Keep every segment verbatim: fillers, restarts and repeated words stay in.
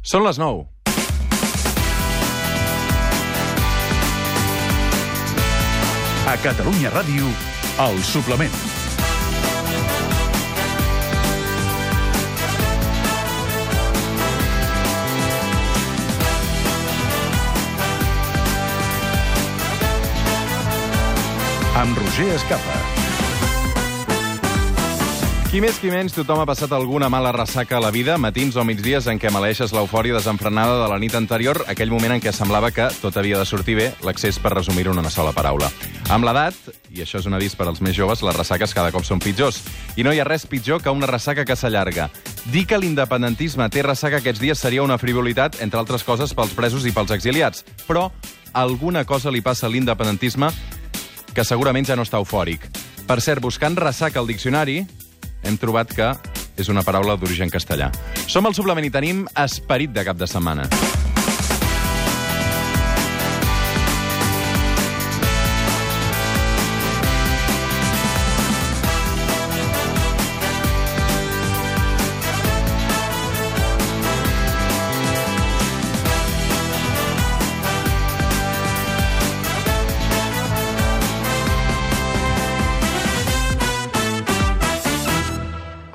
Són les nou. A Catalunya Ràdio, El Suplement. Amb Roger Escapa. Qui més qui menys, tothom ha passat alguna mala ressaca a la vida, matins o migdies en què maleeixes l'eufòria desenfrenada de la nit anterior, aquell moment en què semblava que tot havia de sortir bé, l'accés per resumir-ho en una sola paraula. Amb l'edat, i això és un avís per als més joves, les ressaques cada cop són pitjors. I no hi ha res pitjor que una ressaca que s'allarga. Dir que l'independentisme té ressaca aquests dies seria una frivolitat, entre altres coses, pels presos i pels exiliats. Però alguna cosa li passa a l'independentisme que segurament ja no està eufòric. Per cert, buscant ressaca al diccionari, hem trobat que és una paraula d'origen castellà. Som al Suplement i tenim esperit de cap de setmana.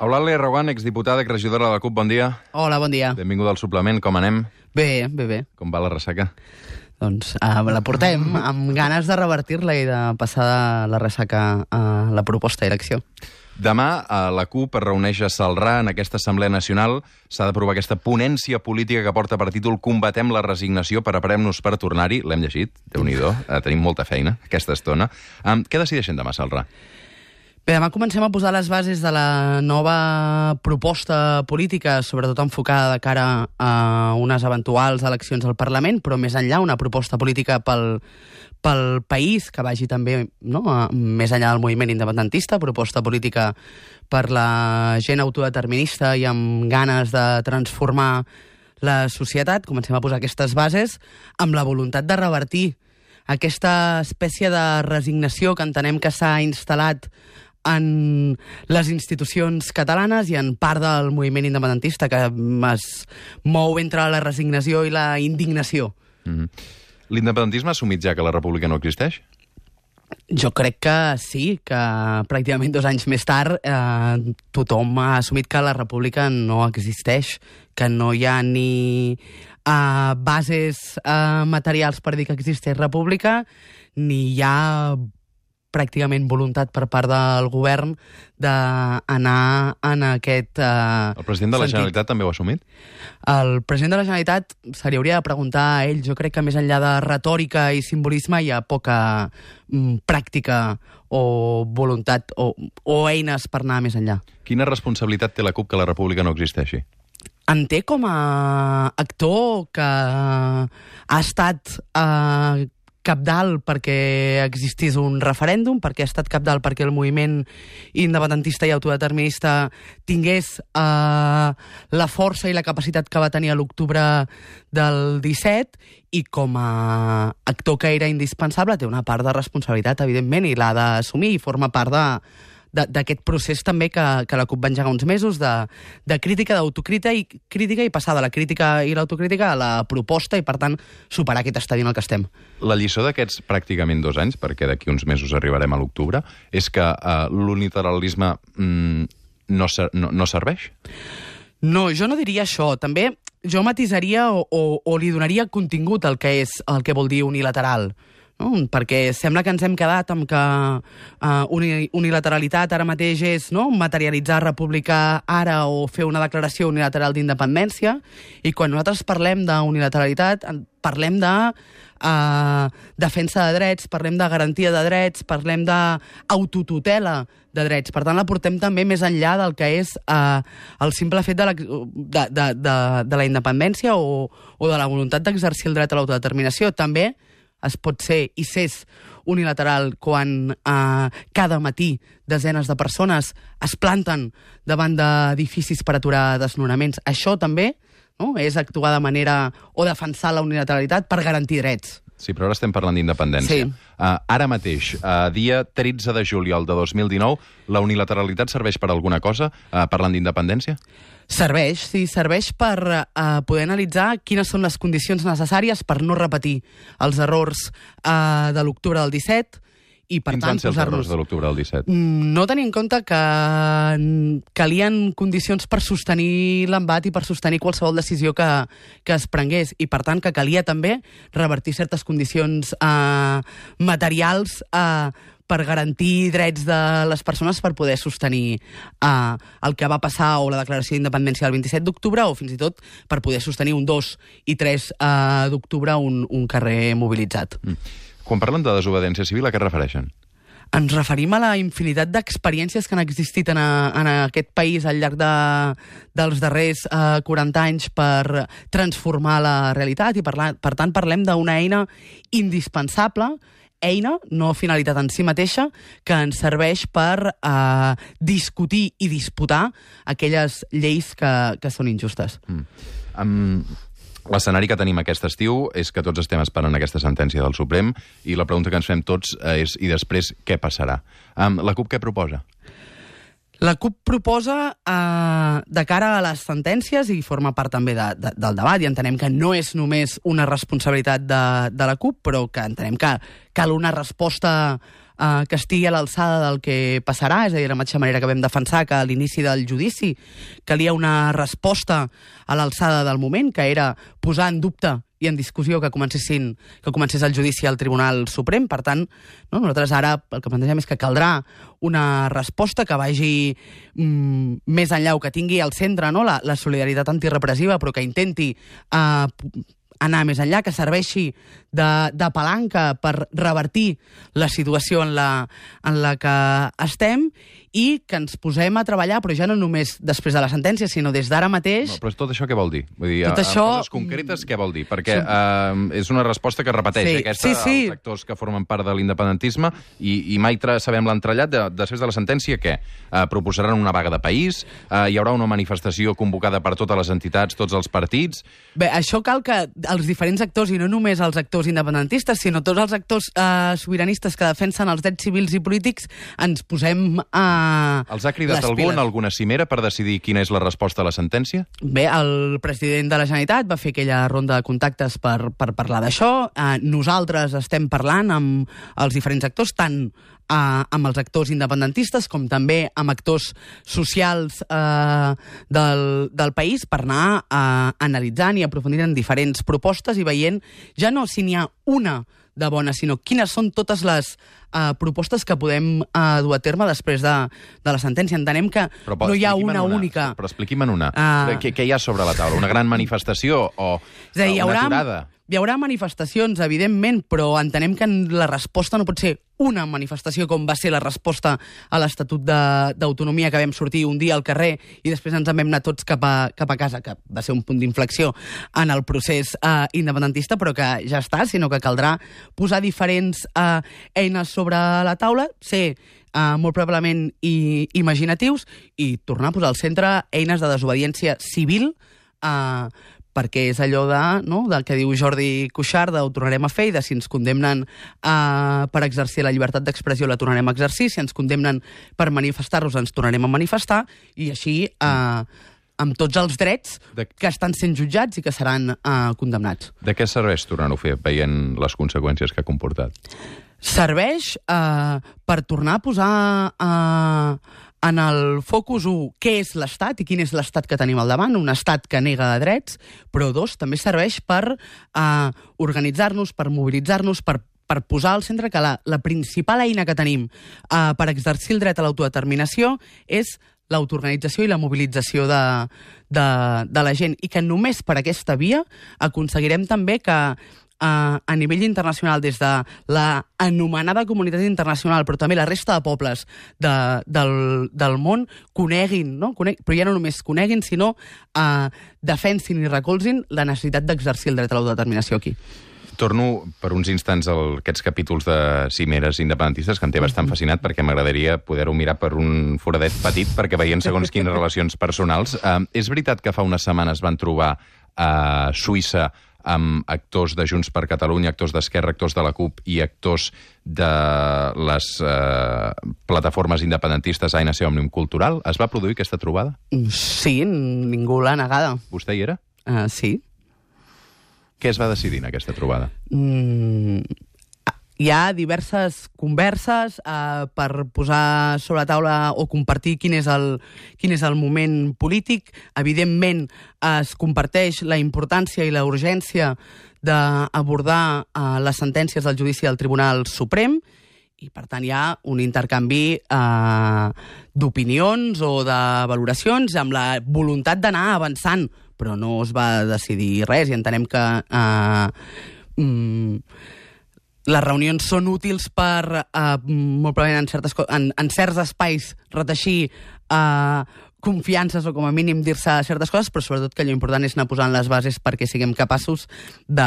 Eulàlia Reguant, exdiputada i regidora de la CUP, bon dia. Hola, bon dia. Benvinguda al Suplement, com anem? Bé, bé, bé. Com va la ressaca? Doncs uh, la portem amb ganes de revertir-la i de passar de la ressaca a la proposta i l'acció. Demà, a la CUP es reuneix a Celrà en aquesta Assemblea Nacional. S'ha d'aprovar aquesta ponència política que porta per títol Combatem la resignació, preparem-nos per tornar-hi. L'hem llegit, Déu-n'hi-do, uh, tenim molta feina aquesta estona. Um, què decideixen demà a Celrà? Bé, demà comencem a posar les bases de la nova proposta política, sobretot enfocada de cara a unes eventuals eleccions al Parlament, però més enllà una proposta política pel, pel país, que vagi també no, més enllà del moviment independentista, proposta política per la gent autodeterminista i amb ganes de transformar la societat. Comencem a posar aquestes bases amb la voluntat de revertir aquesta espècie de resignació que entenem que s'ha instal·lat en les institucions catalanes i en part del moviment independentista, que es mou entre la resignació i la indignació. Mm-hmm. L'independentisme ha assumit ja que la república no existeix? Jo crec que sí, que pràcticament dos anys més tard eh, tothom ha assumit que la república no existeix, que no hi ha ni eh, bases eh, materials per dir que existeix república, ni hi ha pràcticament voluntat per part del govern d'anar en aquest eh, El president de la sentit. Generalitat també ho ha assumit? El president de la Generalitat se li hauria de preguntar a ell. Jo crec que més enllà de retòrica i simbolisme hi ha poca mm, pràctica o voluntat o, o eines per anar més enllà. Quina responsabilitat té la CUP que la república no existeixi? En té com a actor que ha estat eh, cabdal perquè existís un referèndum, perquè ha estat cabdal perquè el moviment independentista i autodeterminista tingués eh, la força i la capacitat que va tenir a l'octubre del disset, i com a actor que era indispensable té una part de responsabilitat, evidentment, i l'ha d'assumir, i forma part de d'aquest procés també que, que la CUP va engegar uns mesos de, de crítica, d'autocrítica i crítica i passar de la crítica i l'autocrítica a la proposta i, per tant, superar aquest estadi en el que estem. La lliçó d'aquests pràcticament dos anys, perquè d'aquí uns mesos arribarem a l'octubre, és que uh, l'unilateralisme mm, no, ser, no, no serveix? No, jo no diria això. També jo matisaria o, o, o li donaria contingut al que és el que vol dir unilateral. No? Perquè sembla que ens hem quedat amb que uh, uni unilateralitat ara mateix és no? materialitzar república ara o fer una declaració unilateral d'independència, i quan nosaltres parlem d'unilateralitat parlem de uh, defensa de drets, parlem de garantia de drets, parlem d'autotutela de drets. Per tant, la portem també més enllà del que és uh, el simple fet de la, de, de, de, de la independència o, o de la voluntat d'exercir el dret a l'autodeterminació. També es pot ser i s'és unilateral quan eh, cada matí desenes de persones es planten davant d'edificis per aturar desnonaments. Això també no, és actuar de manera o defensar la unilateralitat per garantir drets. Sí, però ara estem parlant d'independència. Sí. Uh, ara mateix, uh, dia tretze de juliol de dos mil dinou, la unilateralitat serveix per alguna cosa, uh, parlant d'independència? Serveix, sí, serveix per uh, poder analitzar quines són les condicions necessàries per no repetir els errors uh, de l'octubre del disset i, per Quins tant, van ser els errors de l'octubre del disset? No tenir en compte que calien condicions per sostenir l'embat i per sostenir qualsevol decisió que, que es prengués i, per tant, que calia també revertir certes condicions uh, materials uh, per garantir drets de les persones per poder sostenir uh, el que va passar o la declaració d'independència del vint-i-set d'octubre o fins i tot per poder sostenir un dos i tres uh, d'octubre un, un carrer mobilitzat. Mm. Quan parlen de desobediència civil, a què es refereixen? Ens referim a la infinitat d'experiències que han existit en, a, en aquest país al llarg de, dels darrers uh, quaranta anys per transformar la realitat i, parla, per tant, parlem d'una eina indispensable, eina, no finalitat en si mateixa, que ens serveix per eh, discutir i disputar aquelles lleis que, que són injustes. Mm. Um, L'escenari que tenim aquest estiu és que tots estem esperant aquesta sentència del Suprem i la pregunta que ens fem tots és i després què passarà? Um, la CUP què proposa? La CUP proposa, eh, de cara a les sentències, i forma part també de, de, del debat, i entenem que no és només una responsabilitat de, de la CUP, però que entenem que cal una resposta eh, que estigui a l'alçada del que passarà, és a dir, de la mateixa manera que vam defensar que a l'inici del judici calia una resposta a l'alçada del moment, que era posar en dubte i en discussió que comencessin que comencés el judici al Tribunal Suprem. Per tant, no, nosaltres ara el que plantegem és que caldrà una resposta que vagi mm, més enllà o que tingui al centre, no, la, la solidaritat antirepressiva, però que intenti eh, anar més enllà, que serveixi de, de palanca per revertir la situació en la, en la que estem i que ens posem a treballar, però ja no només després de la sentència, sinó des d'ara mateix... No, però tot això què vol dir? Vull dir, tot a, això... a coses concretes què vol dir? Perquè uh, és una resposta que repeteix, sí, eh, aquesta, sí, sí. els actors que formen part de l'independentisme, i, i mai sabem l'entrellat de, després de la sentència, què? Uh, proposaran una vaga de país? Uh, hi haurà una manifestació convocada per totes les entitats, tots els partits? Bé, això cal que els diferents actors, i no només els actors independentistes, sinó tots els actors eh, sobiranistes que defensen els drets civils i polítics, ens posem a... Eh, els ha cridat algú en alguna cimera per decidir quina és la resposta a la sentència? Bé, el president de la Generalitat va fer aquella ronda de contactes per, per parlar d'això. Eh, nosaltres estem parlant amb els diferents actors, tant eh, amb els actors independentistes com també amb actors socials eh, del, del país per anar eh, analitzant i aprofundint en diferents propostes i veient ja no si n'hi ha una de bona, sinó quines són totes les uh, propostes que podem uh, dur a terme després de, de la sentència. Entenem que però, no hi ha una, una única... Però expliqui'm en una. Uh... Què, què hi ha sobre la taula? Una gran manifestació o és a dir, una haurà, aturada? Hi haurà manifestacions, evidentment, però entenem que la resposta no pot ser una manifestació com va ser la resposta a l'Estatut d'Autonomia, que vam sortir un dia al carrer i després ens en vam anar tots cap a, cap a casa, que va ser un punt d'inflexió en el procés eh, independentista, però que ja està, sinó que caldrà posar diferents eh, eines sobre la taula, ser eh, molt probablement i, imaginatius i tornar a posar al centre eines de desobediència civil, eh, perquè és allò de, no, del que diu Jordi Cuixart, de ho tornarem a fer, i de si ens condemnen eh, per exercir la llibertat d'expressió la tornarem a exercir, si ens condemnen per manifestar-nos ens tornarem a manifestar, i així eh, amb tots els drets de... que estan sent jutjats i que seran eh, condemnats. De què serveix tornar-ho a fer, veient les conseqüències que ha comportat? Serveix eh, per tornar a posar... Eh, en el focus, un, què és l'Estat i quin és l'Estat que tenim al davant, un Estat que nega drets, però dos, també serveix per eh, organitzar-nos, per mobilitzar-nos, per, per posar al centre que la, la principal eina que tenim eh, per exercir el dret a l'autodeterminació és l'autoorganització i la mobilització de, de, de la gent, i que només per aquesta via aconseguirem també que Uh, a nivell internacional, des de la anomenada comunitat internacional, però també la resta de pobles de, del, del món, coneguin, no? Coneg, però ja no només coneguin, sinó uh, defensin i recolzin la necessitat d'exercir el dret a l'autodeterminació aquí. Torno per uns instants a aquests capítols de cimeres independentistes, que em té bastant fascinat, perquè m'agradaria poder-ho mirar per un foradet petit, perquè veient segons quines relacions personals. Uh, és veritat que fa unes setmanes van trobar a Suïssa amb actors de Junts per Catalunya, actors d'Esquerra, actors de la CUP i actors de les eh, plataformes independentistes A N C Òmnium Cultural. Es va produir aquesta trobada? Sí, ningú l'ha negada. Vostè hi era? Uh, sí. Què es va decidir en aquesta trobada? Mm, hi ha diverses converses eh, per posar sobre la taula o compartir quin és el, quin és el moment polític. Evidentment, es comparteix la importància i la urgència d'abordar eh, les sentències del judici del Tribunal Suprem i, per tant, hi ha un intercanvi eh, d'opinions o de valoracions amb la voluntat d'anar avançant, però no es va decidir res i entenem que eh, mm, les reunions són útils per, eh, molt probablement en, certes, en, en certs espais, reteixir eh, confiances o com a mínim dir-se certes coses, però sobretot que allò important és anar posant les bases perquè siguem capaços de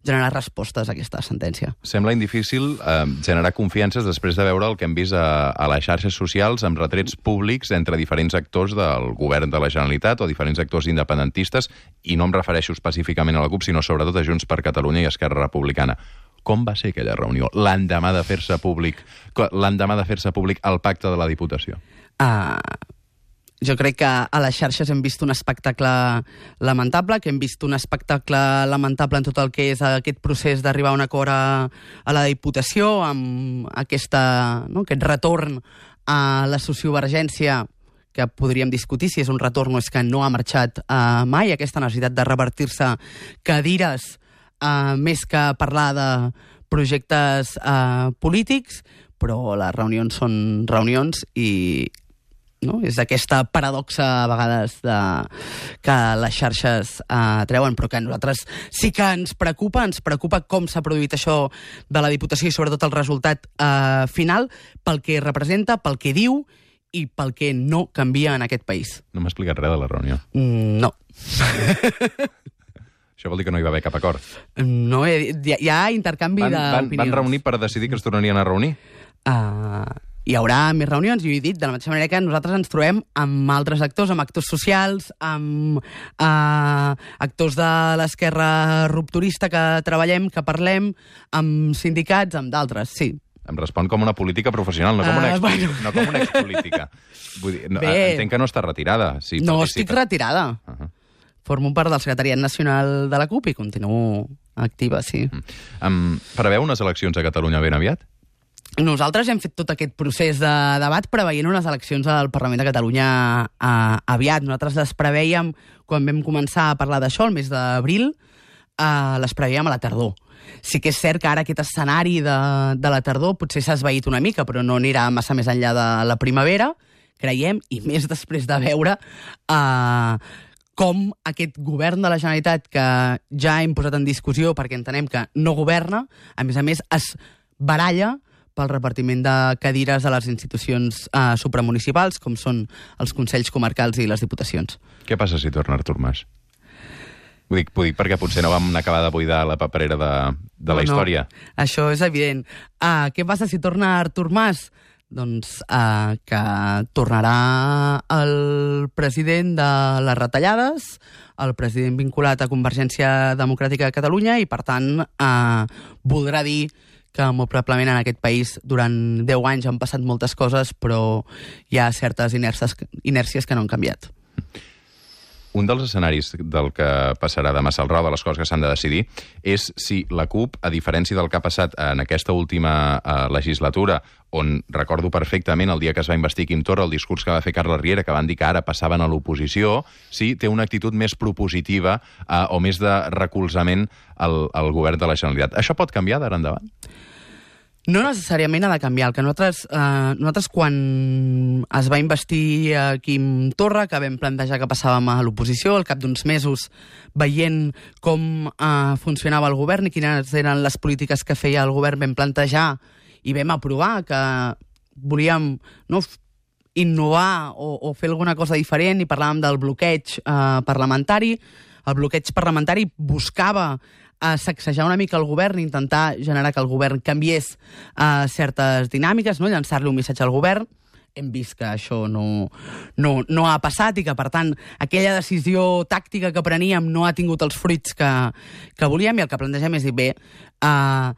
generar respostes a aquesta sentència. Sembla indifícil eh, generar confiances després de veure el que hem vist a, a les xarxes socials amb retrets públics entre diferents actors del govern de la Generalitat o diferents actors independentistes, i no em refereixo específicament a la CUP, sinó sobretot a Junts per Catalunya i Esquerra Republicana. Com va ser aquella reunió l'endemà de fer-se públic, l'endemà de fer-se públic el pacte de la Diputació? Ah... Uh... Jo crec que a les xarxes hem vist un espectacle lamentable, que hem vist un espectacle lamentable en tot el que és aquest procés d'arribar a un acord a, a la Diputació, amb aquesta, no, aquest retorn a la sociovergència, que podríem discutir si és un retorn o és que no ha marxat uh, mai, aquesta necessitat de revertir-se cadires uh, més que parlar de projectes uh, polítics, però les reunions són reunions i... No? És aquesta paradoxa a vegades de, que les xarxes eh, treuen, però que a nosaltres sí que ens preocupa, ens preocupa com s'ha produït això de la Diputació i sobretot el resultat eh, final, pel que representa, pel que diu i pel que no canvia en aquest país. No m'ha explicat res de la reunió. Mm, no. Això vol dir que no hi va haver cap acord. No, hi ha, hi ha intercanvi van, d'opinions. Van, van reunir per decidir que es tornarien a reunir? Uh, hi haurà més reunions, i ho he dit, de la mateixa manera que nosaltres ens trobem amb altres actors, amb actors socials, amb uh, actors de l'esquerra rupturista que treballem, que parlem, amb sindicats, amb d'altres, sí. Em respon com una política professional, no com una, uh, ex bueno. no com una expolítica. Vull dir, no, entenc que no està retirada. Sí, no participa. Estic retirada. Uh -huh. Formo part del secretariat nacional de la CUP i continuo activa, sí. Mm. Um, preveu unes eleccions a Catalunya ben aviat? Nosaltres hem fet tot aquest procés de debat preveient unes eleccions al Parlament de Catalunya eh, aviat. Nosaltres les preveiem, quan vam començar a parlar d'això, el mes d'abril, eh, les preveiem a la tardor. Sí que és cert que ara aquest escenari de, de la tardor potser s'ha esvaït una mica, però no anirà massa més enllà de la primavera, creiem, i més després de veure eh, com aquest govern de la Generalitat, que ja hem posat en discussió perquè entenem que no governa, a més a més es baralla pel repartiment de cadires a les institucions eh, supramunicipals, com són els consells comarcals i les diputacions. Què passa si torna Artur Mas? Ho dic, ho dic perquè potser no vam acabar de buidar la paperera de, de la no, història. No, això és evident. Uh, què passa si torna Artur Mas? Doncs uh, que tornarà el president de les retallades, el president vinculat a Convergència Democràtica de Catalunya, i, per tant, uh, voldrà dir que molt probablement en aquest país durant deu anys han passat moltes coses, però hi ha certes inèrcies, inèrcies que no han canviat. Un dels escenaris del que passarà demà al Raó, de les coses que s'han de decidir, és si la CUP, a diferència del que ha passat en aquesta última eh, legislatura, on recordo perfectament el dia que es va investir Quim Torra, el discurs que va fer Carles Riera, que van dir que ara passaven a l'oposició, si té una actitud més propositiva eh, o més de recolzament al, al govern de la Generalitat. Això pot canviar d'ara endavant? No necessàriament ha de canviar. El que nosaltres, eh, nosaltres quan es va investir a Quim Torra, que vam plantejar que passàvem a l'oposició, al cap d'uns mesos, veient com eh, funcionava el govern i quines eren les polítiques que feia el govern, vam plantejar i vam aprovar que volíem, no, innovar o, o fer alguna cosa diferent, i parlàvem del bloqueig eh, parlamentari. El bloqueig parlamentari buscava a sacsejar una mica el govern, intentar generar que el govern canviés uh, certes dinàmiques, no? Llançar-li un missatge al govern. hem vist que això no, no, no ha passat i que, per tant, aquella decisió tàctica que preníem no ha tingut els fruits que, que volíem, i el que plantegem és dir, bé, eh,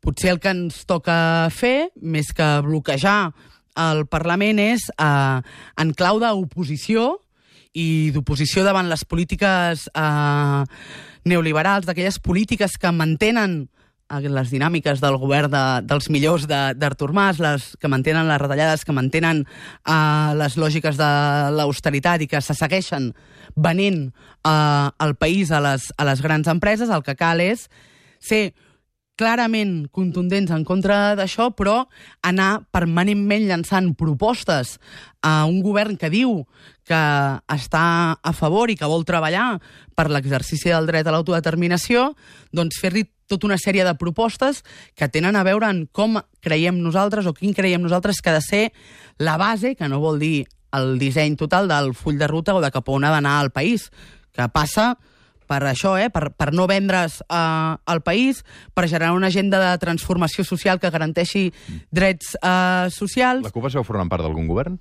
potser el que ens toca fer, més que bloquejar el Parlament, és eh, en clau d'oposició i d'oposició davant les polítiques eh, neoliberals, d'aquelles polítiques que mantenen les dinàmiques del govern de, dels millors d'Artur Mas, les que mantenen les retallades, que mantenen eh, les lògiques de l'austeritat i que se segueixen venent eh, el país a les, a les grans empreses. El que cal és ser clarament contundents en contra d'això, però anar permanentment llançant propostes a un govern que diu que està a favor i que vol treballar per l'exercici del dret a l'autodeterminació, doncs fer-li tota una sèrie de propostes que tenen a veure en com creiem nosaltres o quin creiem nosaltres que ha de ser la base, que no vol dir el disseny total del full de ruta o de cap on ha d'anar el país, que passa per això, eh? per, per no vendre's eh, al país, per generar una agenda de transformació social que garanteixi drets eh, socials. La CUP es veu formant part d'algun govern?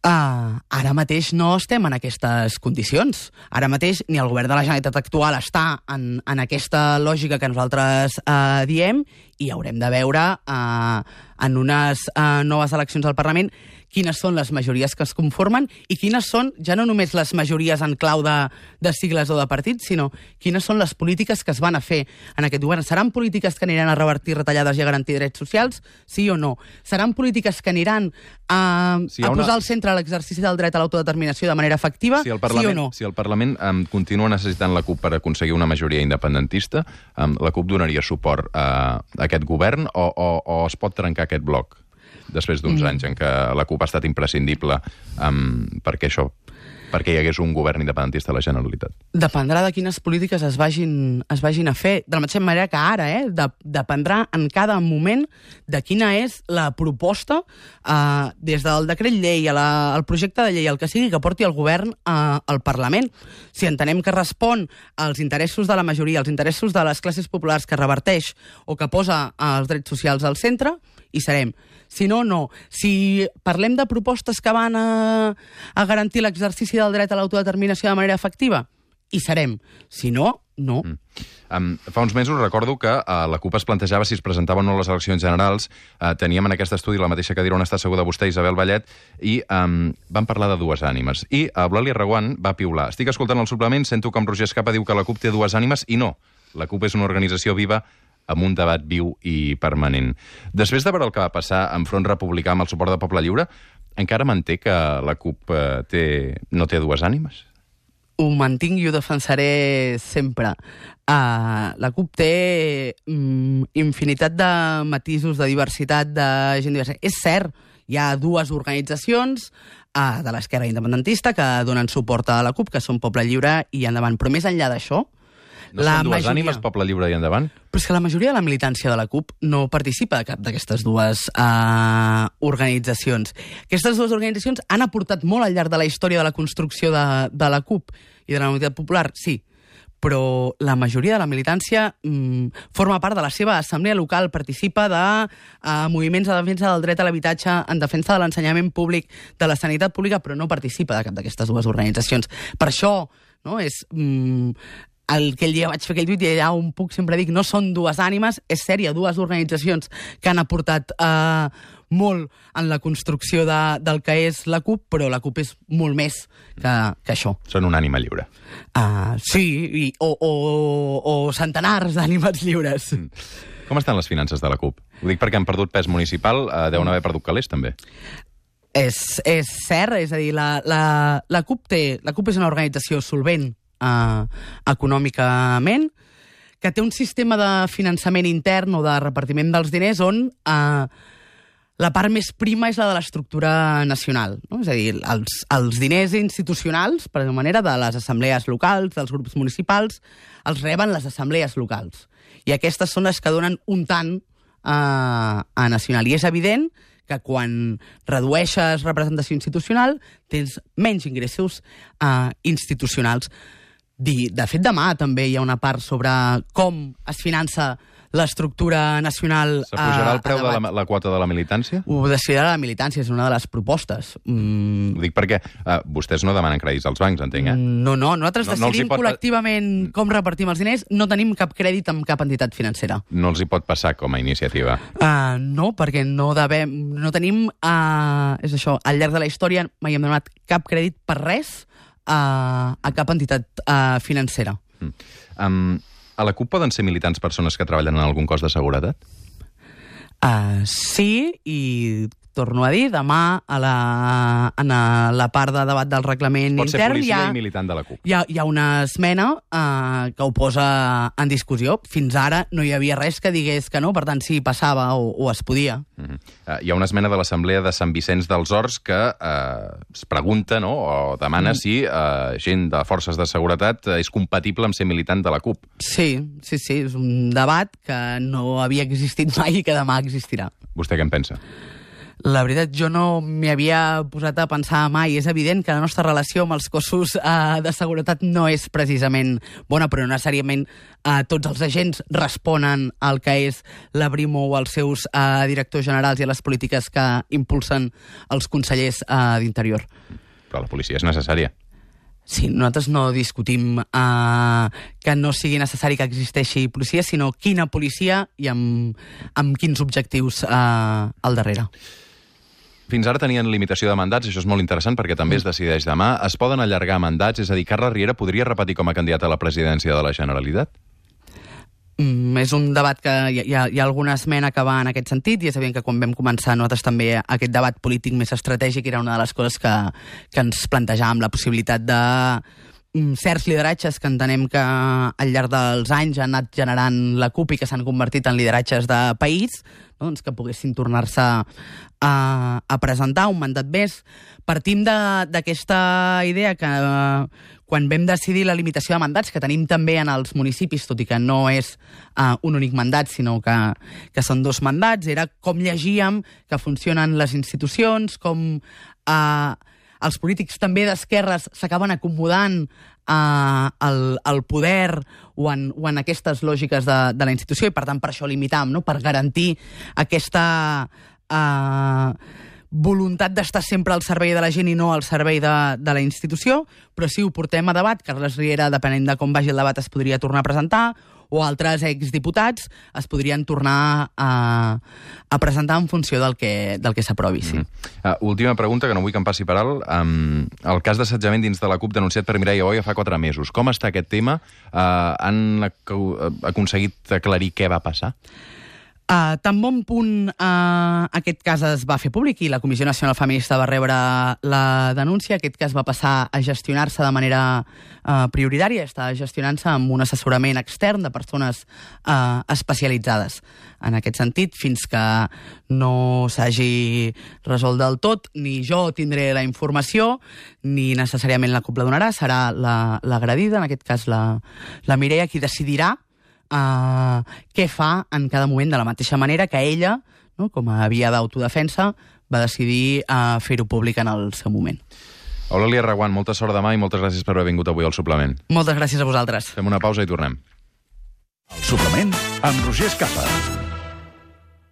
Uh, ara mateix no estem en aquestes condicions. Ara mateix ni el govern de la Generalitat actual està en, en aquesta lògica que nosaltres uh, diem, i haurem de veure uh, en unes uh, noves eleccions al Parlament quines són les majories que es conformen i quines són, ja no només les majories en clau de, de sigles o de partits, sinó quines són les polítiques que es van a fer en aquest govern. Seran polítiques que aniran a revertir retallades i a garantir drets socials? Sí o no? Seran polítiques que aniran a, si a una... posar al centre l'exercici del dret a l'autodeterminació de manera efectiva? Si el Parlament, sí o no? Si el Parlament um, continua necessitant la CUP per aconseguir una majoria independentista, um, la CUP donaria suport a, a aquest govern o, o, o es pot trencar aquest bloc després d'uns mm. anys en què la CUP ha estat imprescindible um, perquè això, perquè hi hagués un govern independentista a la Generalitat? Dependrà de quines polítiques es vagin, es vagin a fer. De la mateixa manera que ara, eh? De, dependrà en cada moment de quina és la proposta eh, des del decret llei a la, al projecte de llei, el que sigui, que porti el govern eh, al Parlament. Si entenem que respon als interessos de la majoria, als interessos de les classes populars, que reverteix o que posa els drets socials al centre, hi serem. Si no, no. Si parlem de propostes que van a, a garantir l'exercici del dret a l'autodeterminació de manera efectiva, hi serem. Si no, no. Mm. Um, fa uns mesos recordo que uh, la CUP es plantejava si es presentaven o no les eleccions generals. Uh, teníem en aquest estudi la mateixa cadira on està asseguda vostè, Isabel Vallet, i um, van parlar de dues ànimes. I uh, Eulàlia Reguant va piular. Estic escoltant el suplement, sento com Roger Escapa diu que la CUP té dues ànimes, i no. La CUP és una organització viva amb un debat viu i permanent. Després de veure el que va passar en Front Republicà amb el suport de Poble Lliure, encara manté que la CUP eh, té, no té dues ànimes? Ho mantinc i ho defensaré sempre. Uh, la CUP té um, infinitat de matisos, de diversitat, de gent diversa. És cert, hi ha dues organitzacions uh, de l'esquerra independentista que donen suport a la CUP, que són Poble Lliure i Endavant. Però més enllà d'això, no són dues majoria... ànimes, Poble Lliure i Endavant? Però és que la majoria de la militància de la CUP no participa de cap d'aquestes dues uh, organitzacions. Aquestes dues organitzacions han aportat molt al llarg de la història de la construcció de, de la CUP i de la Unitat Popular, sí, però la majoria de la militància mm, forma part de la seva assemblea local, participa de uh, moviments de defensa del dret a l'habitatge, en defensa de l'ensenyament públic, de la sanitat pública, però no participa de cap d'aquestes dues organitzacions. Per això, no, és... Mm, el que el dia vaig fer aquell tuit i allà on puc sempre dic, no són dues ànimes, és cert, hi ha dues organitzacions que han aportat eh, molt en la construcció de, del que és la CUP, però la CUP és molt més que, que això. Són una ànima lliure. Uh, sí, i, o, o, o centenars d'ànimes lliures. Mm. Com estan les finances de la CUP? Ho dic perquè han perdut pes municipal, eh, deuen haver perdut calés, també. És, és cert, és a dir, la, la, la CUP té, la CUP és una organització solvent Uh, econòmicament, que té un sistema de finançament intern o de repartiment dels diners on uh, la part més prima és la de l'estructura nacional. No? És a dir, els, els diners institucionals, per alguna manera, de les assemblees locals, dels grups municipals, els reben les assemblees locals. I aquestes són les que donen un tant uh, a nacional. I és evident que quan redueixes representació institucional tens menys ingressos uh, institucionals. De fet, demà també hi ha una part sobre com es finança l'estructura nacional... S'apujarà el preu a de la, debat. la quota de la militància? Ho decidirà la militància, és una de les propostes. Mm. Ho dic perquè uh, vostès no demanen crèdits als bancs, entenc, eh? No, no, nosaltres No- no els hi decidim pot- col·lectivament com repartim els diners, no tenim cap crèdit amb cap entitat financera. No els hi pot passar com a iniciativa. Uh, no, perquè no devem, no tenim, uh, és això, al llarg de la història mai hem donat cap crèdit per res uh, a cap entitat uh, financera. Mm. Um, a la CUP poden ser militants persones que treballen en algun cos de seguretat? Uh, sí, i torno a dir, demà a la, en a la part de debat del reglament Pot ser intern hi policia ha, i militant de la CUP. hi, ha, hi ha una esmena uh, que ho posa en discussió. Fins ara no hi havia res que digués que no, per tant, sí, passava o, o es podia. Uh -huh. uh, hi ha una esmena de l'Assemblea de Sant Vicenç dels Horts que uh, es pregunta, no?, o demana mm. si uh, gent de forces de seguretat uh, és compatible amb ser militant de la CUP. Sí, sí, sí, és un debat que no havia existit mai i que demà existirà. Vostè què en pensa? La veritat, jo no m'hi havia posat a pensar mai. És evident que la nostra relació amb els cossos eh, de seguretat no és precisament bona, però no necessàriament eh, tots els agents responen al que és la Brimo o als seus eh, directors generals i a les polítiques que impulsen els consellers eh, d'Interior. Però la policia és necessària. Sí, nosaltres no discutim eh, que no sigui necessari que existeixi policia, sinó quina policia i amb, amb quins objectius eh, al darrere. Fins ara tenien limitació de mandats, això és molt interessant perquè també es decideix demà. Es poden allargar mandats? És a dir, Carles Riera podria repetir com a candidat a la presidència de la Generalitat? Mm, és un debat que hi ha, hi, ha, hi ha alguna esmena que va en aquest sentit i és evident que quan vam començar nosaltres també aquest debat polític més estratègic era una de les coses que, que ens plantejàvem, la possibilitat de mm, certs lideratges que entenem que al llarg dels anys han anat generant la CUP i que s'han convertit en lideratges de país, no? Doncs que poguessin tornar-se a, a presentar un mandat més. Partim d'aquesta idea que eh, quan vam decidir la limitació de mandats, que tenim també en els municipis, tot i que no és uh, un únic mandat, sinó que, que són dos mandats, era com llegíem que funcionen les institucions, com uh, els polítics també d'esquerres s'acaben acomodant uh, al, al poder o en, o en aquestes lògiques de, de la institució, i per tant per això limitam, no? Per garantir aquesta... Uh, voluntat d'estar sempre al servei de la gent i no al servei de, de la institució, però sí ho portem a debat. Carles Riera, depenent de com vagi el debat, es podria tornar a presentar, o altres exdiputats es podrien tornar a, a presentar en funció del que, del que s'aprovi. Sí. Mm-hmm. uh, última pregunta, que no vull que em passi per alt. Um, el cas d'assetjament dins de la CUP denunciat per Mireia Boia fa quatre mesos. Com està aquest tema? Uh, han ac aconseguit aclarir què va passar? Uh, tan bon punt uh, aquest cas es va fer públic i la Comissió Nacional Feminista va rebre la denúncia, aquest cas va passar a gestionar-se de manera uh, prioritària, està gestionant-se amb un assessorament extern de persones uh, especialitzades. En aquest sentit, fins que no s'hagi resolt del tot, ni jo tindré la informació, ni necessàriament la CUP la donarà, serà l'agredida, en aquest cas la, la Mireia, qui decidirà Uh, què fa en cada moment, de la mateixa manera que ella, no, com a via d'autodefensa, va decidir uh, fer-ho públic en el seu moment. Eulàlia Reguant, molta sort demà i moltes gràcies per haver vingut avui al Suplement. Moltes gràcies a vosaltres. Fem una pausa i tornem. El Suplement amb Roger Escapa.